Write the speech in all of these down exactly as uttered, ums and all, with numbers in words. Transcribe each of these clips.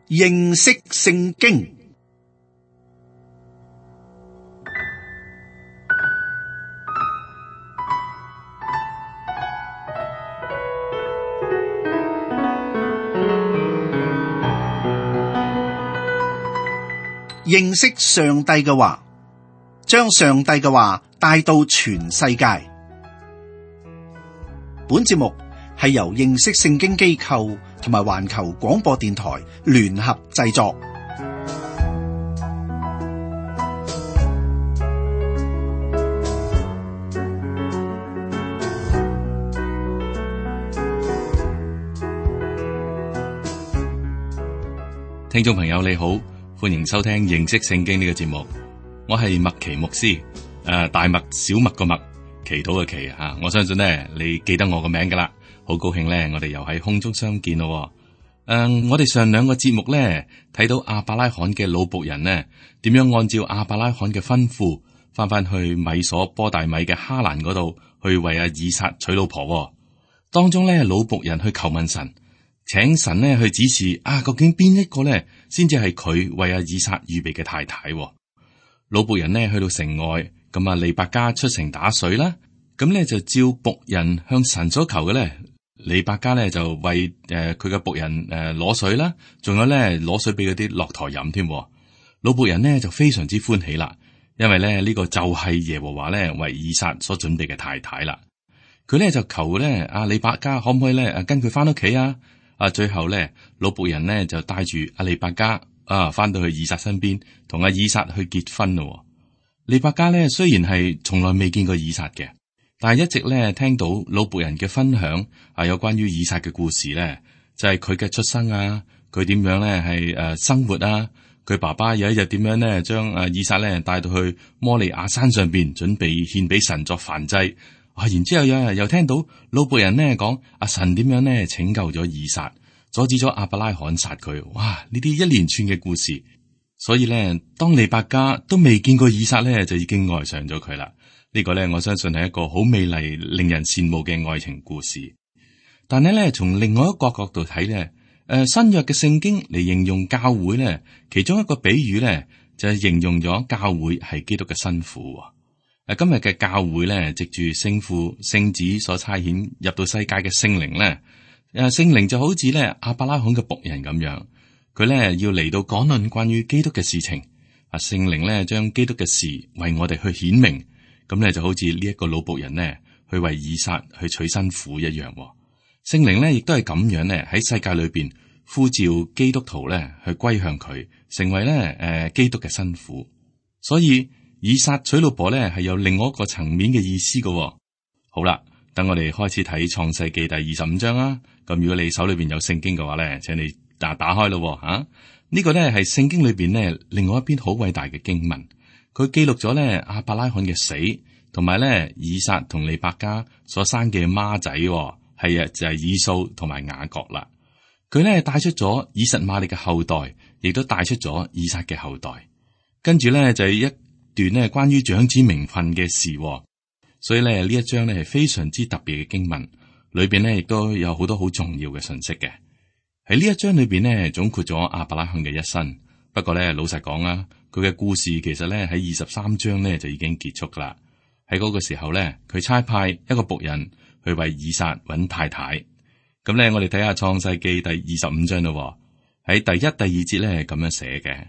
認識聖經。認識上帝嘅話，將上帝嘅話帶到全世界。本節目係由認識聖經機構同埋環球廣播電台聯合製作。聽眾朋友你好，歡迎收聽認識聖經呢個節目。我係麥奇牧師，誒、呃，大麥小麥個麥，祈禱嘅祈吓。我相信呢，你記得我個名噶啦，好高興呢，我哋又喺空中相見咯。誒、呃，我哋上兩個節目呢，睇到亞伯拉罕嘅老僕人呢，點樣按照亞伯拉罕嘅吩咐，翻翻去米所波大米嘅哈蘭嗰度，去為阿以撒娶老婆。當中呢，老僕人去求問神。請神呢去指示啊，究竟邊一個呢先至係佢為阿以撒預備嘅太太？老僕人呢去到城外，咁啊利百加出城打水啦，咁呢就照僕人向神所求嘅呢，利百加呢就為誒佢嘅僕人誒攞水啦，仲有呢攞水俾嗰啲駱駝飲添。老僕人呢就非常之歡喜啦，因為呢呢個就係耶和華呢為以撒所準備嘅太太啦。佢呢就求呢阿利百加可唔可以呢跟佢翻屋企啊？啊！最後咧，老僕人呢就帶住阿利百加啊，翻到去以撒身邊，同阿以撒去結婚咯。利百加咧雖然係從來未見過以撒嘅，但係一直咧聽到老僕人嘅分享啊，有關於以撒嘅故事咧，就係佢嘅出生啊，佢點樣咧係誒生活啊，佢爸爸有一日點樣咧將阿以撒咧帶到去摩利亞山上邊，準備獻俾神作燔祭。啊！然之後有人又聽到老僕人呢講阿神點樣呢拯救咗以撒，阻止咗亞伯拉罕殺佢。哇！呢啲一連串嘅故事，所以呢，當利百加都未見過以撒呢，就已經愛上咗佢啦。呢個呢，我相信係一個好美麗、令人羨慕嘅愛情故事。但係呢，從另外一個角度睇呢，誒新約嘅聖經嚟形容教會呢，其中一個比喻呢，就係形容咗教會係基督嘅新婦。誒，今日嘅教會咧，藉住聖父、聖子所差遣入到世界嘅聖靈咧，誒，聖靈就好似咧亞伯拉罕嘅僕人咁樣，佢咧要嚟到講論關於基督嘅事情。啊，聖靈咧將基督嘅事為我哋去顯明，咁咧就好似呢一個老僕人咧去為以撒去娶新婦一樣。聖靈咧亦都係咁樣咧喺世界裏邊呼召基督徒咧去歸向佢，成為咧誒基督嘅新婦。所以以撒娶老婆咧係有另外一個層面嘅意思嘅。好啦，等我哋開始睇創世記第二十五章啦。咁如果你手裏邊有聖經嘅話咧，請你打打開咯吓。啊這個、呢個咧係聖經裏邊咧另外一篇好偉大嘅經文，佢記錄咗咧亞伯拉罕嘅死，同埋咧以撒同利百加所生嘅孖仔，係啊就係以掃同埋雅各啦。佢咧帶出咗以實瑪利嘅後代，亦都帶出咗以撒嘅後代。跟住咧就係一段咧關於長子名分嘅事，所以咧呢一章咧係非常之特別嘅經文，裏邊咧亦都有好多好重要嘅信息嘅。喺呢一章裏邊咧總括咗亞伯拉罕嘅一生。不過咧老實講啦，佢嘅故事其實咧喺二十三章咧就已經結束噶啦。喺嗰個時候咧，佢差派一個僕人去為以撒揾太太。咁咧我哋睇下創世記第二十五章咯。喺第一、第二節咧係咁樣寫嘅：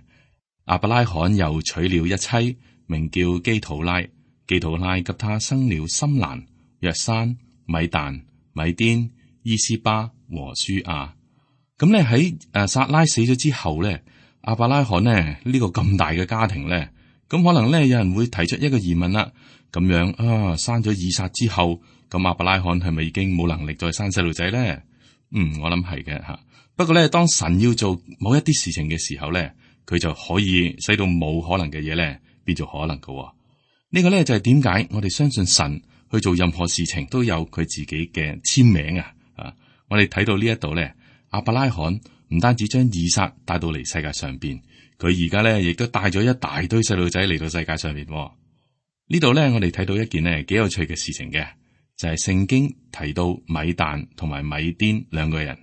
亞伯拉罕又娶了一妻，名叫基土拉，基土拉給他生了深蘭、約山、米但、米甸、伊斯巴和書亞。咁咧喺誒撒拉死咗之後咧，亞伯拉罕呢呢、呢個咁大嘅家庭咧，咁可能咧有人會提出一個疑問啦。咁樣啊，生咗以撒之後，咁亞伯拉罕係咪已經冇能力再生細路仔咧？嗯，我諗係嘅吓。不過咧，當神要做某一啲事情嘅時候咧，佢就可以使到冇可能嘅嘢咧變做可能嘅。呢、呢個咧就係點解我哋相信神去做任何事情都有佢自己嘅簽名啊！啊，我哋睇到呢一度咧，亞伯拉罕唔單止將以撒帶到嚟世界上邊，佢而家咧亦都帶咗一大堆細路仔嚟到世界上邊。呢度咧，我哋睇到一件咧幾有趣嘅事情嘅，就係、是、聖經提到米但同埋米甸兩個人，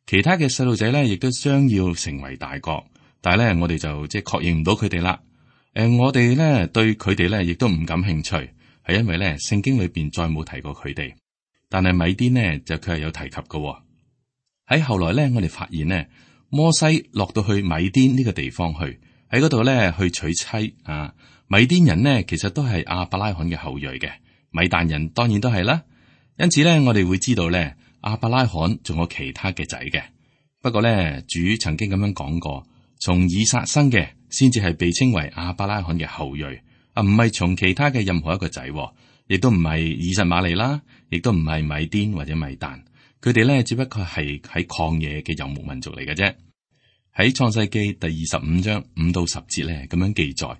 其他嘅細路仔咧，亦都將要成為大國，但係咧，我哋就即係確認唔到佢哋啦。誒、呃，我哋咧對佢哋咧，亦都唔感興趣，係因為咧聖經裏邊再冇提過佢哋。但係米甸呢，就佢係有提及嘅、哦。喺後來咧，我哋發現呢，摩西落到去米甸呢個地方去，喺嗰度咧去娶妻啊。米甸人呢，其實都係亞伯拉罕嘅後裔嘅，米但人當然都係啦。因此咧，我哋會知道咧，亞伯拉罕仲有其他嘅仔嘅。不過咧，主曾經咁樣講過，從以撒生嘅先至係被稱為亞伯拉罕嘅後裔，啊，唔係從其他嘅任何一個仔，亦都唔係以實瑪利啦，亦都唔係米甸或者米但。佢哋咧只不過係喺曠野嘅游牧民族嚟嘅啫。喺創世記第二十五章五到十節咧咁樣記載。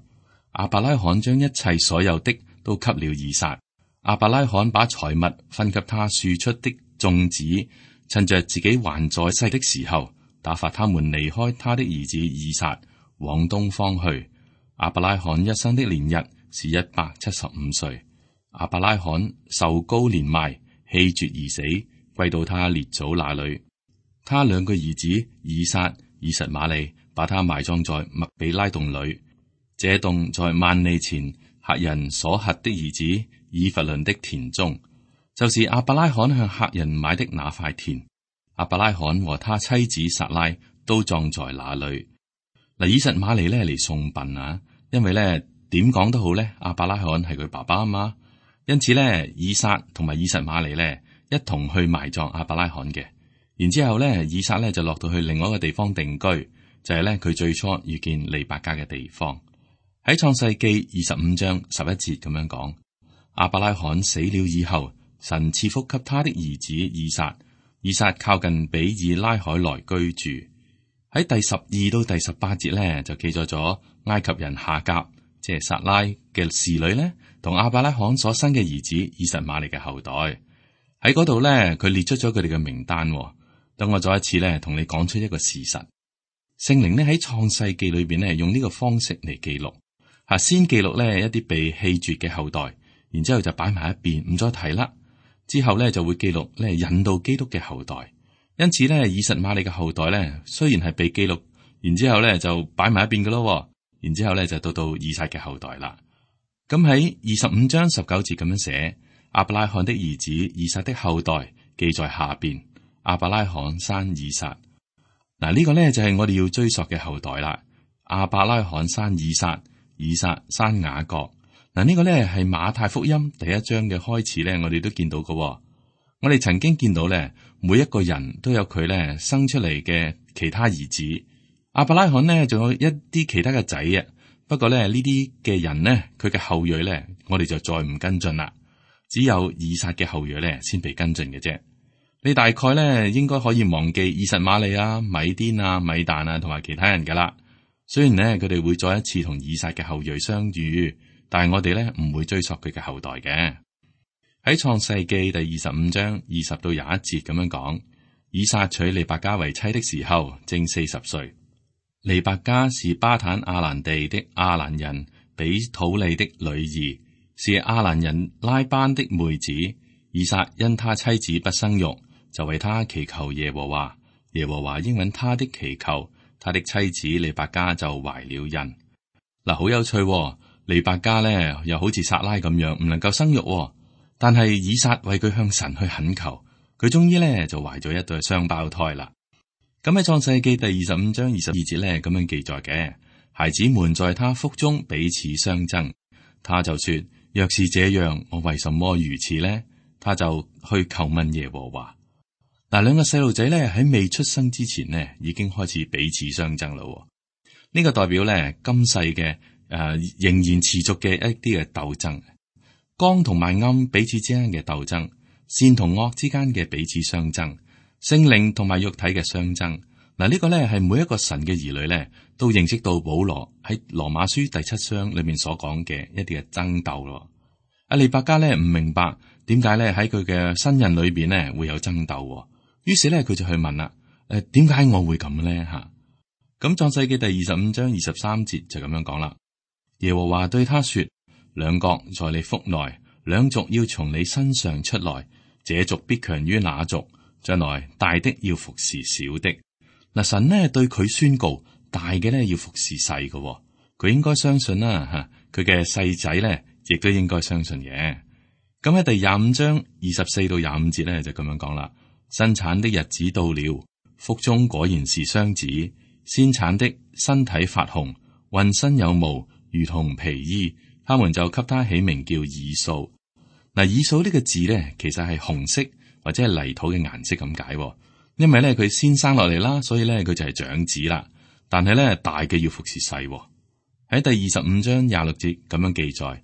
亞伯拉罕將一切所有的都給了以撒。亞伯拉罕把財物分給他庶出的眾子，趁着自己還在世的時候，打發他們離開他的兒子以撒，往東方去。亞伯拉罕一生的年日是一百七十五歲。亞伯拉罕壽高年邁，氣絕而死，歸到他列祖那裏。他兩個兒子以撒、以實瑪利把他埋葬在麥比拉洞裏。這洞在萬利前赫人所轄的兒子以弗倫的田中，就是亞伯拉罕向赫人買的那塊田。亞伯拉罕和他妻子撒拉都葬在那裏。嗱，以實瑪利咧嚟送殯啊，因為咧點講都好咧，亞伯拉罕係佢爸爸啊嘛，因此咧以撒同埋以實瑪利咧一同去埋葬亞伯拉罕嘅。然之後咧，以撒咧就落到去另外一個地方定居，就係咧佢最初遇見利百加嘅地方。喺創世記二十五章十一節咁樣講，亞伯拉罕死了以後，神賜福給他的兒子以撒。以撒靠近比爾拉海來居住。喺第十二到第十八節咧，就記載咗埃及人夏甲，即係撒拉嘅侍女咧，同亞伯拉罕所生嘅兒子以實瑪利嘅後代。喺嗰度咧，佢列出咗佢哋嘅名單。等我再一次咧，同你講出一個事實：聖靈呢喺創世記裏邊咧，用呢個方式嚟記錄。吓，先記錄咧一啲被棄絕嘅後代，然之後就擺埋一邊，唔再提啦。之後咧就會記錄咧引導基督嘅後代。因此咧，以實瑪利嘅後代咧，雖然係被記錄，然之後咧就擺埋一邊噶咯。然之後咧就到到以撒嘅後代啦。咁喺二十五章十九節咁樣寫，亞伯拉罕的兒子以撒的後代記在下邊。亞伯拉罕生以撒。嗱，呢個咧就係我哋要追溯嘅後代啦。亞伯拉罕生以撒。以撒生雅各。嗱，呢個咧係馬太福音第一章嘅開始咧，我哋都見到嘅。我哋曾經見到咧，每一個人都有佢咧生出嚟嘅其他兒子。亞伯拉罕呢，仲有一啲其他嘅仔啊。不過咧，呢啲嘅人呢，佢嘅後裔咧，我哋就再唔跟進啦。只有以撒嘅後裔咧，先被跟進嘅啫。你大概咧應該可以忘記以實瑪利啊、米甸啊、米但啊，同埋其他人噶啦。雖然咧佢哋會再一次同以撒嘅後裔相遇，但係我哋咧唔會追溯佢嘅後代嘅。喺創世記第二十五章二十到廿一節咁樣講，以撒娶利百加為妻的時候正四十歲。利百加是巴坦亞蘭地的亞蘭人比土利的女兒，是亞蘭人拉班的妹子。以撒因他妻子不生育，就為他祈求耶和華，耶和華應允他的祈求。他的妻子利百加就懷了孕。嗱，好有趣喎，利百加咧又好似撒拉咁樣唔能夠生育喎，但係以撒為佢向神去懇求，佢終於咧就懷咗一對雙胞胎啦。咁喺創世記第二十五章二十二節咧咁樣記載嘅，孩子們在他腹中彼此相爭，他就說：若是這樣，我為什麼如此呢？他就去求問耶和華。嗱，兩個細路仔咧喺未出生之前呢，已經開始彼此相爭啦。呢個代表咧今世嘅誒、呃、仍然持續嘅一啲嘅鬥爭，光同埋暗彼此之間嘅鬥爭，善同惡之間嘅彼此相爭，聖靈同埋肉體嘅相爭。嗱，呢個咧係每一個神嘅兒女咧都認識到保羅喺羅馬書第七章裏面所講嘅一啲嘅爭鬥咯。阿利百加咧唔明白點解咧喺佢嘅新人裏邊咧會有爭鬥。於是咧，佢就去問啦：誒、呃，點解我會咁咧？吓，咁創世記第二十五章二十三節就咁樣講啦。耶和華對他說：兩國在你腹內，兩族要從你身上出來，這族必強於那族，將來大的要服侍小的。嗱，神呢對佢宣告，大嘅呢要服侍細嘅，佢應該相信啦吓，佢嘅細仔呢亦都應該相信嘅。咁喺第廿五章二十四到廿五節呢就咁樣講啦：生產的日子到了，腹中果然是雙子，先產的身體發紅，渾身有毛，如同皮衣，他們就給他起名叫以掃。嗱，以掃呢個字咧，其實係紅色或者係泥土嘅顏色咁解，因為咧佢先生落嚟啦，所以咧佢就係長子啦。但係咧大嘅要服侍細。喺第二十五章廿六節咁樣記載，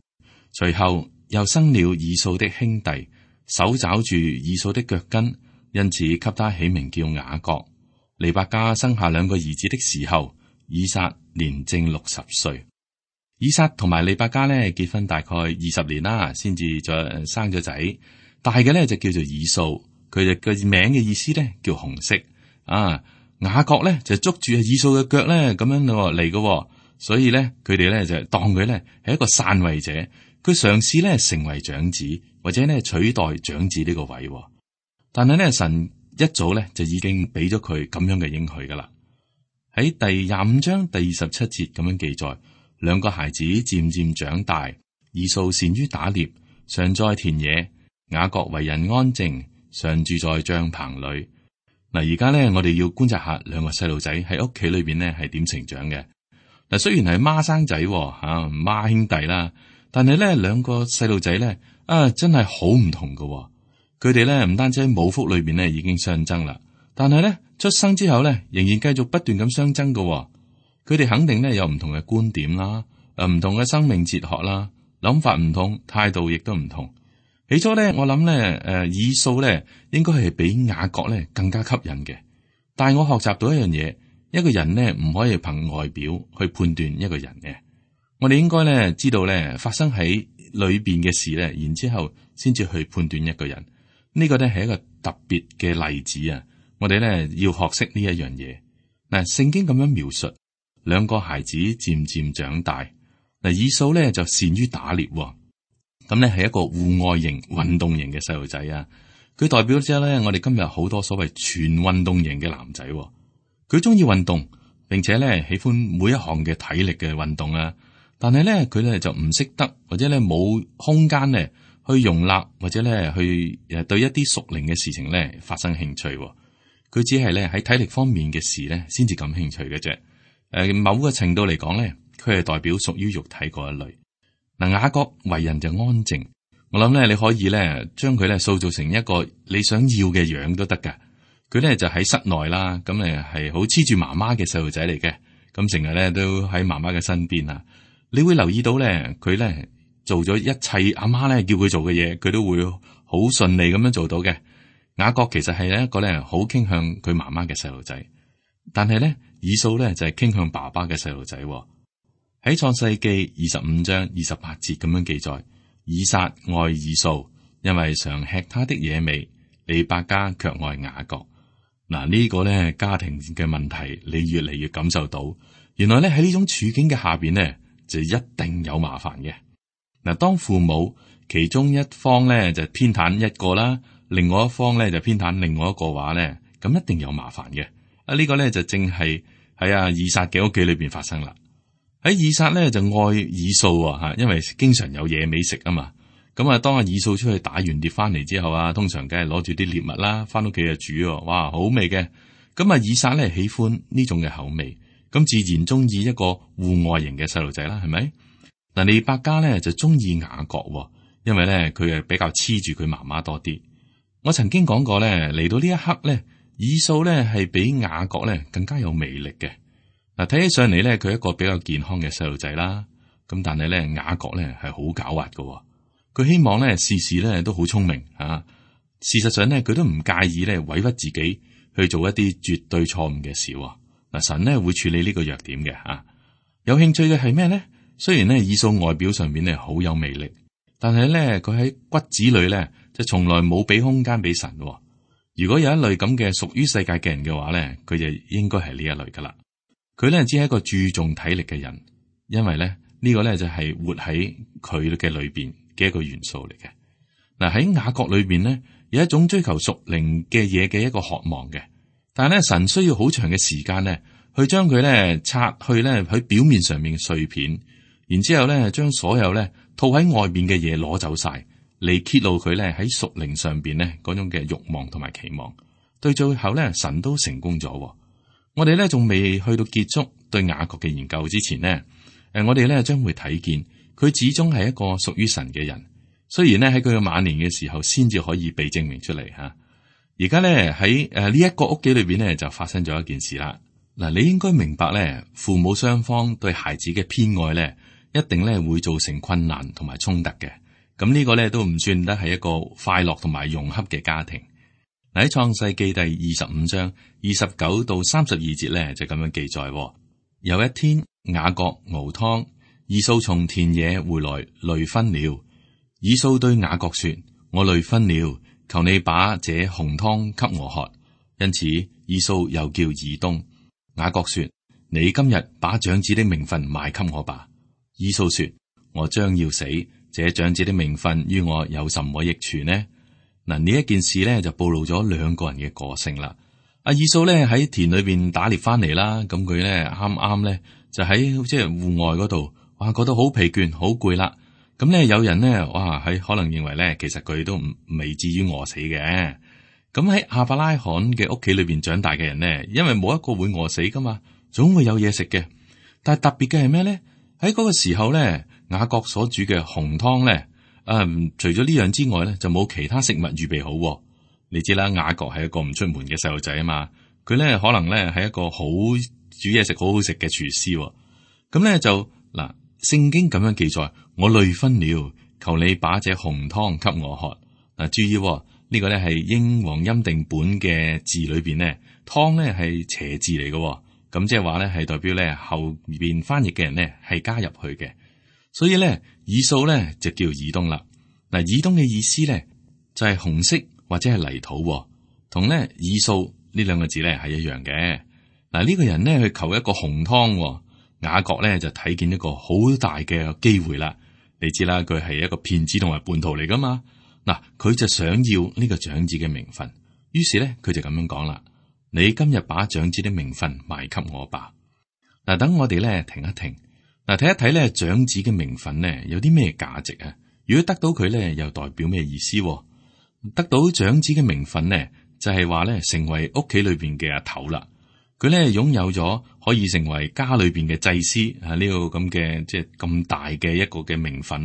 隨後又生了以掃的兄弟，手抓住以掃的腳跟，因此給他起名叫雅各。利百加生下兩個兒子的時候，以撒年正六十歲。以撒同埋利百加咧結婚大概二十年啦，先至再生咗仔。大嘅咧就叫做以掃，佢哋嘅名嘅意思咧叫紅色。啊，雅各咧就捉住以掃嘅腳咧咁樣嚟嘅，所以咧佢哋咧就當佢咧係一個篡位者，佢嘗試咧成為長子或者咧取代長子呢個位。但係咧神一早咧就已經俾咗佢咁樣嘅應許噶啦。喺第廿五章第二十七節咁樣記載。兩個孩子漸漸長大，以掃善於打獵，常在田野；雅各為人安靜，常住在帳棚裏。嗱，而家咧，我哋要觀察下兩個細路仔喺屋企裏邊咧係點成長嘅。嗱，雖然係孖生仔吓孖兄弟啦，但係咧兩個細路仔咧啊，真係好唔同㗎。佢哋咧唔單止喺母腹裏邊咧已經相爭啦，但係咧出生之後咧仍然繼續不斷咁相爭㗎。佢哋肯定咧有唔同嘅觀點啦，誒唔同嘅生命哲學啦，諗法唔同，態度亦都唔同。起初咧，我諗咧，誒以掃咧應該係比雅各咧更加吸引嘅。但係我學習到一樣嘢，一個人咧唔可以憑外表去判斷一個人嘅。我哋應該咧知道咧發生喺裏邊嘅事咧，然之後先至去判斷一個人。呢個咧係一個特別嘅例子啊！我哋咧要學識呢一樣嘢。嗱，聖經咁樣描述。兩個孩子漸漸長大，嗱，以掃咧就善於打獵，咁咧係一個戶外型、運動型嘅細路仔啊。佢代表咗咧我哋今日好多所謂全運動型嘅男仔，佢中意運動，並且咧喜歡每一項嘅體力嘅運動啊。但係咧佢咧就唔識得，或者咧冇空間咧去容納，或者咧去誒對一啲屬靈嘅事情咧發生興趣。佢只係咧喺體力方面嘅事咧先至感興趣嘅啫。誒，某個程度嚟講咧，佢係代表屬於肉體嗰一類。嗱，雅各為人就安靜，我諗咧你可以咧將佢咧塑造成一個你想要嘅樣都得噶。佢咧就喺室內啦，咁誒係好黐住媽媽嘅細路仔嚟嘅，咁成日咧都喺媽媽嘅身邊啊。你會留意到咧，佢咧做咗一切阿媽咧叫佢做嘅嘢，佢都會好順利咁樣做到嘅。雅各其實係一個咧好傾向佢媽媽嘅細路仔，但係咧。以掃咧就係傾向爸爸嘅細路仔。喺創世記二十五章二十八節咁樣記載，以撒愛以掃，因為常吃他的野味；利百加卻愛雅各。嗱，呢個咧家庭嘅問題，你越嚟越感受到，原來咧喺呢種處境嘅下邊咧，就一定有麻煩嘅。嗱，當父母其中一方咧就偏袒一個啦，另外一方咧就偏袒另外一個話咧，咁一定有麻煩嘅。啊！呢個咧就正係喺阿以撒嘅屋企裏邊發生啦。喺以撒咧就愛以掃啊，吓，因為經常有野味食啊嘛。咁啊，當阿以掃出去打完獵翻嚟之後啊，通常梗係攞住啲獵物啦，翻屋企就煮，哇，好味嘅。咁啊，以撒咧喜歡呢種嘅口味，咁自然中意一個戶外型嘅細路仔啦，係咪？嗱，利百加咧就中意雅各，因為咧佢係比較黐住佢媽媽多啲。我曾經講過咧，嚟到呢一刻咧。以掃咧係比雅各咧更加有魅力嘅。嗱，睇起上嚟咧，佢係一個比較健康嘅細路仔啦。咁但係咧，雅各咧係好狡猾嘅。佢希望咧事事咧都好聰明啊。事實上咧，佢都唔介意咧委屈自己去做一啲絕對錯誤嘅事。嗱，神咧會處理呢個弱點嘅啊。有興趣嘅係咩咧？雖然咧以掃外表上面咧好有魅力，但係咧佢喺骨子裏咧就從來冇俾空間俾神。如果有一類咁嘅屬於世界嘅人嘅話咧，佢就應該係呢一類噶啦。佢咧只係一個注重體力嘅人，因為咧呢個咧就係活喺佢嘅裏邊嘅一個元素嚟嘅。嗱，喺雅各裏邊咧有一種追求屬靈嘅嘢嘅一個渴望嘅。但係咧，神需要好長嘅時間咧，去將佢咧拆去咧喺表面上面嘅碎片，然之後咧將所有咧套喺外面嘅嘢攞走晒，嚟揭露佢咧喺屬靈上邊咧嗰種嘅慾望同埋期望。對最後咧，神都成功咗。我哋咧仲未去到結束對雅各嘅研究之前呢，誒，我哋咧將會睇見佢始終係一個屬於神嘅人。雖然咧喺佢嘅晚年嘅時候，先至可以被證明出嚟吓。而家咧喺誒呢一個屋企裏邊咧，就發生咗一件事啦。嗱，你應該明白咧，父母雙方對孩子嘅偏愛咧，一定咧會造成困難同埋衝突嘅。咁呢個咧都唔算得係一個快樂同埋融洽嘅家庭。嗱，喺創世記第二十五章二十九到三十二節咧就咁樣記載：有一天雅各熬湯，以掃從田野回來，累昏了。以掃對雅各說：我累昏了。求你把這紅湯給我喝。因此以掃又叫以東。雅各說：你今日把長子的名分賣給我吧。以掃說：我將要死，這長子的名分於我有什麼益處呢？嗱，呢一件事咧就暴露咗兩個人嘅個性啦。阿以掃咧喺田裏邊打獵翻嚟啦，咁佢咧啱啱咧就喺即係戶外嗰度，哇，覺得好疲倦，好攰啦。咁咧，有人咧，哇，喺可能認為咧，其實佢都唔未至於餓死嘅。咁喺亞伯拉罕嘅屋企裏邊長大嘅人咧，因為冇一個會餓死噶嘛，總會有嘢食嘅。但係特別嘅係咩咧？喺嗰個時候咧，雅各所煮嘅紅湯咧，啊、嗯，除咗呢樣之外咧，就冇其他食物預備好。你知啦，雅各係一個唔出門嘅細路仔啊嘛，佢咧可能咧係一個好煮嘢食好好食嘅廚師。咁咧就嗱。聖經咁樣記載，我累昏了，求你把這紅湯給我喝。嗱，注意呢、哦這個咧係英皇欽定本嘅字裏邊咧，湯咧係斜字嚟嘅，咁即係話咧係代表咧後邊翻譯嘅人咧係加入去嘅，所以咧以掃咧就叫以東啦。嗱，以東嘅意思咧就係、是、紅色或者係泥土，同咧以掃呢兩個字咧係一樣嘅。嗱，呢個人咧去求一個紅湯。雅各咧就睇見一個好大嘅機會啦，你知啦，佢係一個騙子同埋叛徒嚟噶嘛。嗱，佢就想要呢個長子嘅名分，於是咧佢就咁樣講啦：你今日把長子的名分賣給我吧。嗱，等我哋咧停一停，嗱，睇一睇咧長子嘅名分咧有啲咩價值啊？如果得到佢咧，又代表咩意思？得到長子嘅名分咧，就係話咧成為屋企裏邊嘅阿頭啦。佢咧擁有咗可以成為家裏邊嘅祭司啊，呢個咁嘅即係咁大嘅一個嘅名分。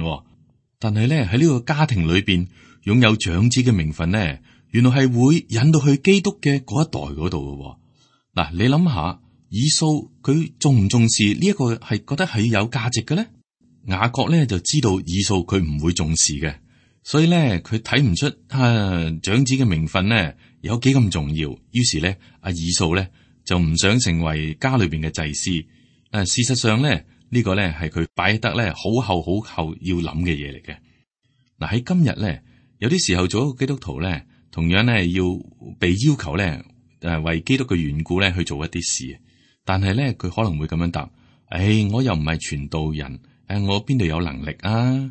但係咧喺呢個家庭裏邊擁有長子嘅名分咧，原來係會引到去基督嘅嗰一代嗰度嘅。嗱，你諗下，以掃佢重唔重視呢一個係覺得係有價值嘅咧？雅各咧就知道以掃佢唔會重視嘅，所以咧佢睇唔出啊長子嘅名分咧有幾咁重要。於是咧阿以掃咧。就唔想成為家裏邊嘅祭司。誒，事實上咧，呢個咧係佢擺得咧好後好後要諗嘅嘢嚟嘅。嗱，喺今日咧，有啲時候做一個基督徒咧，同樣咧要被要求咧誒為基督嘅緣故咧去做一啲事。但係咧佢可能會咁樣答：誒，我又唔係傳道人，誒，我邊度有能力啊？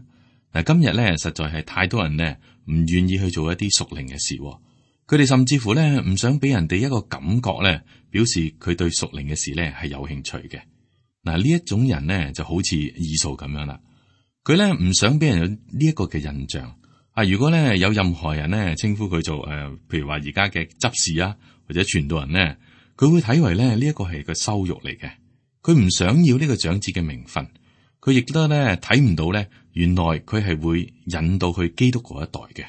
嗱，今日咧實在係太多人咧唔願意去做一啲屬靈嘅事。佢哋甚至乎咧唔想俾人哋一個感覺咧，表示佢對屬靈嘅事咧係有興趣嘅。嗱，呢一種人咧就好似以掃咁樣啦，佢咧唔想俾人有呢一個嘅印象。啊，如果咧有任何人咧稱呼佢做誒、呃，譬如話而家嘅執事啊或者傳道人咧，佢會睇為咧呢一個係個羞辱嚟嘅。佢唔想要呢個長子嘅名分，佢亦都咧睇唔到咧，原來佢係會引到去基督嗰一代嘅。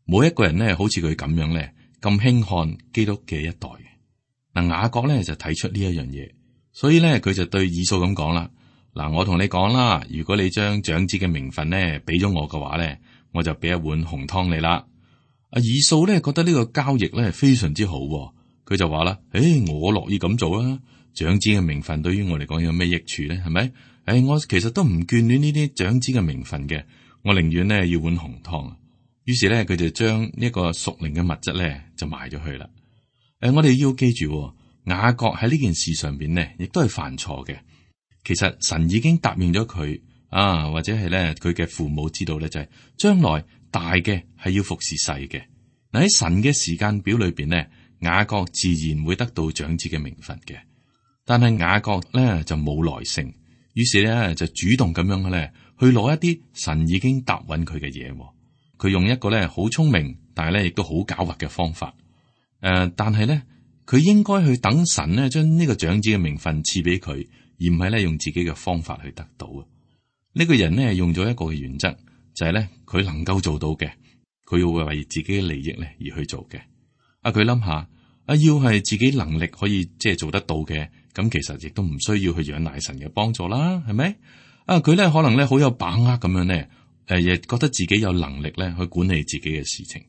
冇一個人咧，好似佢咁樣咧，咁輕看基督嘅一代嘅。嗱，雅各咧就睇出呢一樣嘢，所以咧佢就對以掃咁講啦：嗱，我同你講啦，如果你將長子嘅名分咧俾咗我嘅話咧，我就俾一碗紅湯你啦。阿以掃咧覺得呢個交易咧非常之好，佢就話啦：誒，我樂意咁做啦。長子嘅名分對於我嚟講有咩益處咧？係咪？誒，我其實都唔眷戀呢啲長子嘅名分嘅，我寧願咧要碗紅湯。於是咧，佢就將呢一個屬靈嘅物質咧就賣咗去啦。誒、呃，我哋要記住，雅各喺呢件事上邊咧，亦都係犯錯嘅。其實神已經答應咗佢啊，或者係咧佢嘅父母知道咧，就係、是、將來大嘅係要服侍細嘅。嗱，喺神嘅時間表裏邊呢，雅各自然會得到長子嘅名分嘅，但係雅各咧就冇耐性，於是咧就主動咁樣咧去攞一啲神已經答允佢嘅嘢。佢用一個咧好聰明，但係咧亦都好狡猾嘅方法。誒、呃，但係咧佢應該去等神咧將呢個長子嘅名分賜俾佢，而唔係咧用自己嘅方法去得到啊。呢、這個人咧用咗一個嘅原則，就係咧佢能夠做到嘅，佢要為自己嘅利益咧而去做嘅。啊，佢諗下啊，要係自己能力可以即係做得到嘅，咁其實亦都唔需要去仰賴神嘅幫助啦，係咪？啊，佢咧可能咧好有把握咁樣咧，誒，亦覺得自己有能力咧去管理自己嘅事情。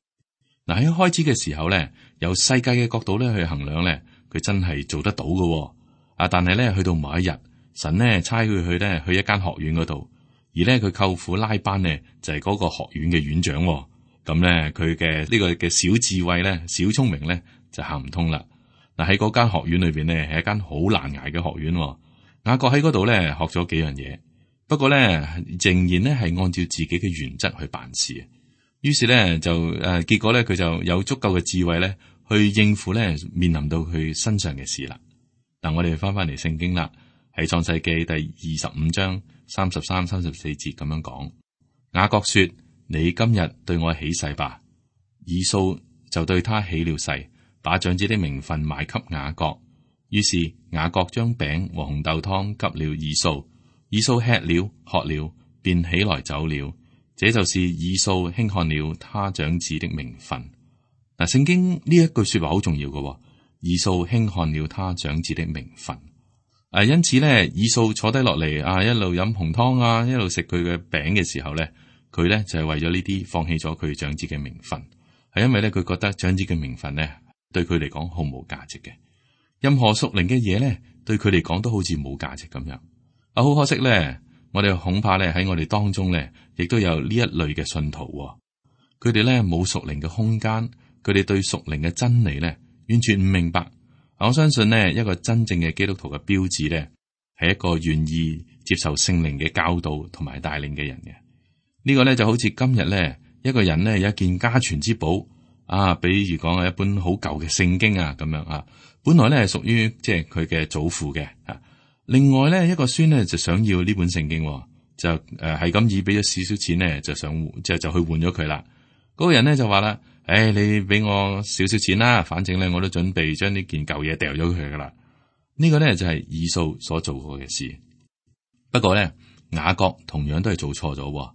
嗱，喺開始嘅時候咧，由世界嘅角度咧去衡量咧，佢真係做得到嘅。啊，但係咧去到某一日，神咧差佢去咧去一間學院嗰度，而咧佢舅父拉班呢，就係嗰個學院嘅院長。咁咧佢嘅呢個嘅小智慧咧、小聰明咧就行唔通啦。嗱，喺嗰間學院裏邊呢，係一間好難捱嘅學院。雅各喺嗰度咧學咗幾樣嘢，不過咧仍然咧係按照自己嘅原則去辦事。於是咧就誒，結果咧佢就有足夠嘅智慧咧去應付咧面臨到佢身上嘅事啦。嗱，我哋翻翻嚟聖經啦，喺創世記第二十五章三十三、三十四節咁樣講。雅各說：你今日對我起誓吧。以掃就對他起了誓，把長子的名分賣給雅各。於是雅各將餅和紅豆湯給了以掃，以掃吃了喝了，便起來走了。這就是以掃輕看了他長子的名分。嗱，聖經呢一句說話好重要嘅，以掃輕看了他長子的名分。誒，因此咧，以掃坐低落嚟啊，一路飲紅湯啊，一路食佢嘅餅嘅時候咧，佢咧就係為咗呢啲放棄咗佢長子嘅名分，係因為咧佢覺得長子嘅名分咧對佢嚟講毫無價值嘅，任何屬靈嘅嘢咧對佢嚟講都好似冇價值咁樣。啊，好可惜咧，我哋恐怕咧喺我哋當中咧，亦都有呢一類嘅信徒，佢哋咧冇屬靈嘅空間，佢哋對屬靈嘅真理咧完全唔明白。我相信呢一個真正嘅基督徒嘅標誌咧，係一個願意接受聖靈嘅教導同埋帶領嘅人嘅。呢個咧就好似今日咧，一個人咧有一件家傳之寶啊，比如講係一本好舊嘅聖經啊，咁樣啊，本來咧係屬於即係佢嘅祖父嘅啊。另外咧一個孫咧就想要呢本聖經，就誒係咁以俾咗少少錢咧，就想即係就去換咗佢啦。嗰個人咧就話啦：誒、哎，你俾我少少錢啦，反正咧我都準備將呢件舊嘢掉咗佢噶啦。呢個咧就係以掃所做過嘅事。不過咧雅各同樣都係做錯咗。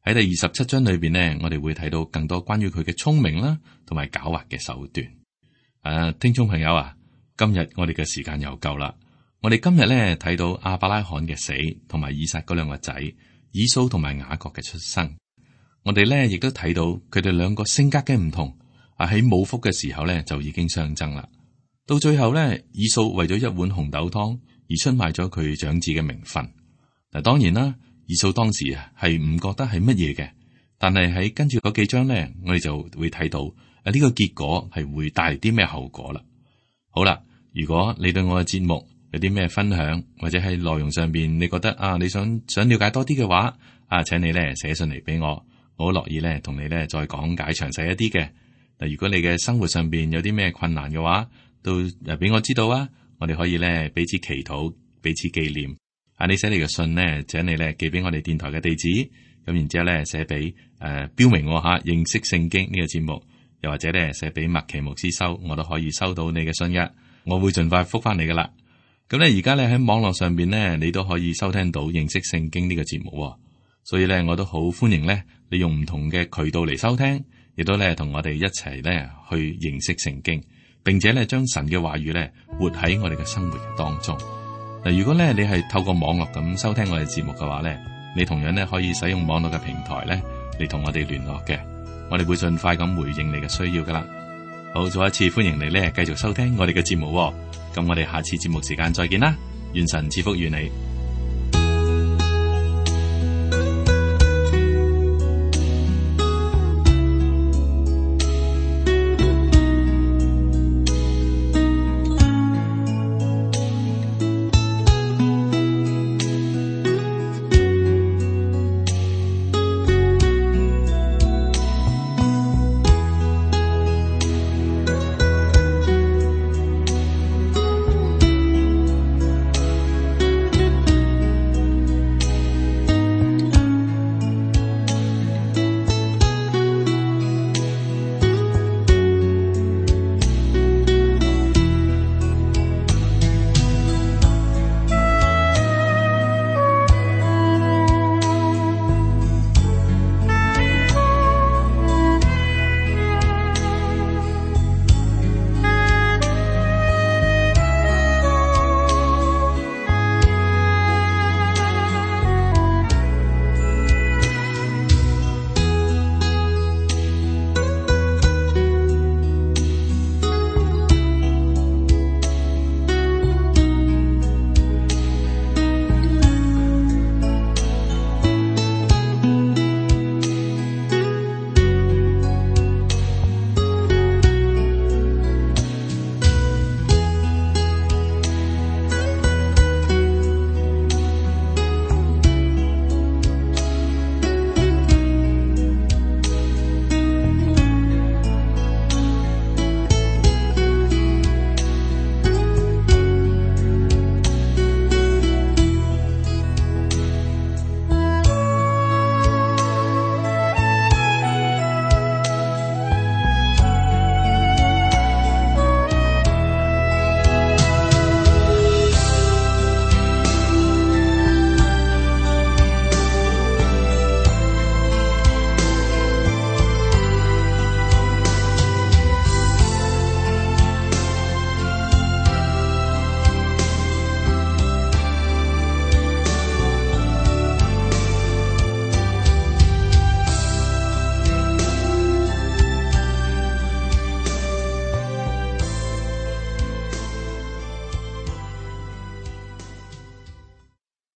喺第二十七章裏邊呢，我哋會睇到更多關於佢嘅聰明啦，同埋狡猾嘅手段。誒、啊，聽眾朋友啊，今日我哋嘅時間又夠啦。我哋今日咧睇到亞伯拉罕嘅死，同埋以撒嗰兩個仔以掃同埋雅各嘅出生。我哋咧亦都睇到佢哋兩個性格嘅唔同。啊，喺冇福嘅時候咧就已經相爭啦。到最後咧，以掃為咗一碗紅豆湯而出賣咗佢長子嘅名分。嗱，當然啦。以掃當時啊係唔覺得係乜嘢嘅，但係喺跟住嗰幾章咧，我哋就會睇到啊呢個結果係會帶嚟啲咩後果啦。好啦，如果你對我嘅節目有啲咩分享，或者喺內容上邊你覺得啊你想想了解多啲嘅話，啊請你咧寫信嚟俾我，我好樂意咧同你咧再講解詳細一啲嘅。嗱，如果你嘅生活上邊有啲咩困難嘅話，都誒俾我知道啊，我哋可以咧彼此祈禱，彼此紀念。啊！你寫你嘅信呢，請你咧寄俾我哋電台嘅地址，咁然之後咧寫俾誒標明我吓認識聖經呢個節目，又或者咧寫俾麥奇牧師收，我都可以收到你嘅信嘅，我會盡快覆翻你噶啦。咁咧而家咧喺網絡上邊咧，你都可以收聽到認識聖經呢個節目，所以咧我都好歡迎咧你用唔同嘅渠道嚟收聽，亦都咧同我哋一齊咧去認識聖經，並且咧將神嘅話語咧活喺我哋嘅生活嘅當中。嗱，如果咧你係透過網絡咁收聽我哋節目嘅話咧，你同樣咧可以使用網絡嘅平台咧嚟同我哋聯絡嘅，我哋會盡快咁回應你嘅需要噶啦。好，再一次歡迎你咧繼續收聽我哋嘅節目，咁我哋下次節目時間再見啦，願神賜福於你。